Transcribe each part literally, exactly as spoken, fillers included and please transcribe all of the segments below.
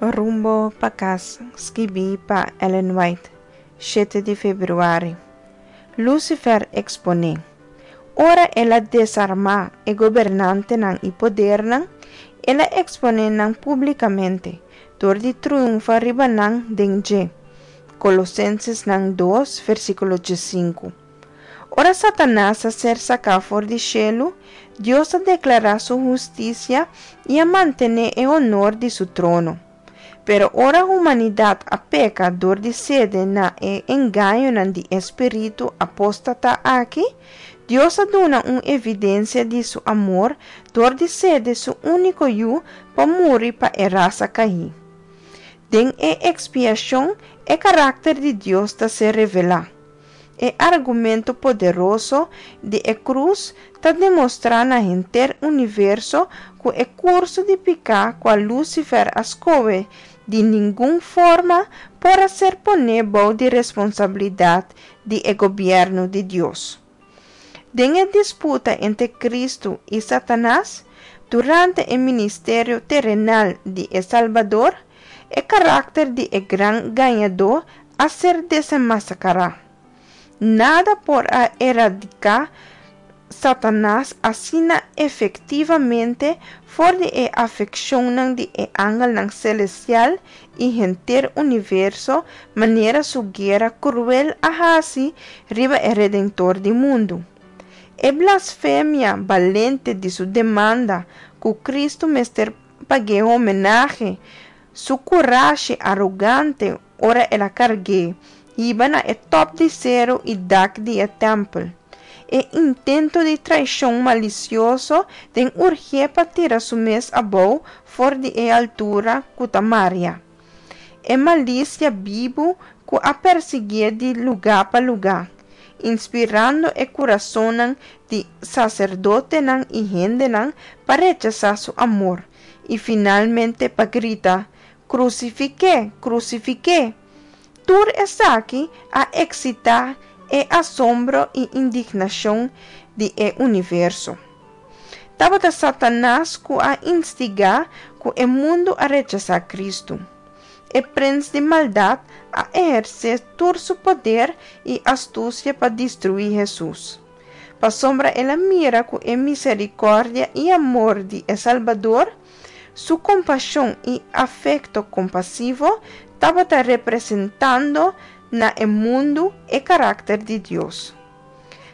Rumbo pa Kas, skibí pa Ellen White, shete di febrüari. Lucifer eksponé. Ora el a desarmá e gobernantenan i podernan, el a eksponé nan públikamente, dor di triunfá riba nan den dje. Kolosensesnan dos, versíkulo diesinku. Ora Satanas a ser saká for di shelu, Dios a deklará su hustisia i a mantené e honor di su trono. Pero ora humanidat a peka dor di sede na e engañonan di e spiritu apóstata aki, Dios a duna un evidensia di su amor dor di sede su úniko Yu pa muri pa e rasa kaí. Den e ekspiashon, e karakter di Dios ta ser revelá. E argumento poderoso di e krus ta demostrá na henter universo ku e kurso di piká kua Lucifer a skohe di ningun forma por a ser poné bou di responsabilidat di e gobièrnu di Dios. Den e disputa entre Kristu i Satanas, durante e ministerio terenal di e Salbador, e karakter di e gran gañadó a ser desenmaskará. Nada por a eradiká Satanas asina efektivamente for di e afekshonnan di e angelnan selestial i henter universo manera su guera kruel a hasi riba e Redentor di mundu. E blasfemia balente di su demanda ku Kristu mester pag'é homenahe, su kurashi arogante ora el a karg'é hiba na e tòp di seru i dak di e tèmpel, e intento di traishon malisioso den urgié pa tira su mes abou for di e altura ku ta maria, e malisia bibu ku a persiguié di lugá pa lugá, inspirando e kurasonnan di saserdotenan i hendenan pa rechasá su amor i finalmente pa grita, Krusifik'é! Krusifik'é! Tur esaki a eksitá e asombro i indignashon di e universo. Tabata Satanas ku a instigá ku e mundu a rechasá Kristu. E prens di maldat a ehersé tur su poder i astusia pa destruí Hesus. Pasobra el a mira ku e miserikòrdia i amor di e Salbador, su kompashon i afekto kompasivo tabata representando na e mundu e karakter di Dios.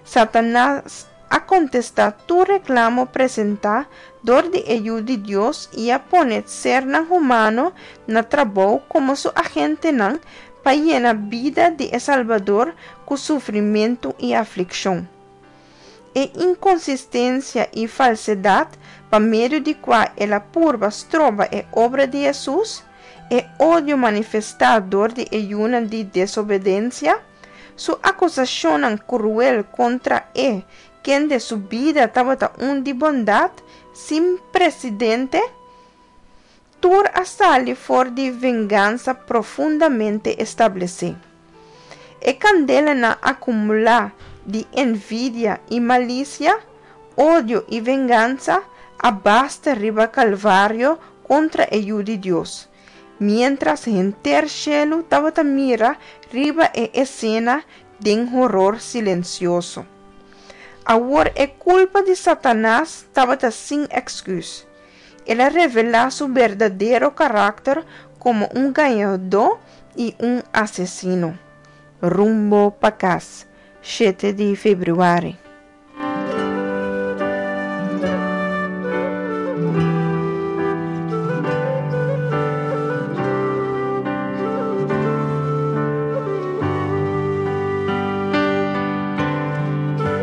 Satanas a kontestá tur reklamo presentá dor di e Yu di Dios i a pone sernan humano na trabou komo su agentenan pa yena bida di e Salbador ku sufrimentu i aflikshon. E inkonsistensia i falsedat pa medio di kua el a purba stroba e obra di Hesus, e odio manifestá dor di e yunan di desobedensia, su akusashonnan kruel kontra e kende su bida tabata un di bondat sin presidente, tur a sali for di vengansa profundamente establesé. E kandelanan akumulá di envidia i malisia, odio i vengansa a basta riba Kalvario kontra e Yu di Dios, miéntras henter shelu tabata mira riba e esena den horor silensioso. Awor e kulpa di Satanas tabata sin èksküs. El a revelá su berdadero karakter komo un gañadó i un asesino. Rumbo pa Kas, shete di febrüari.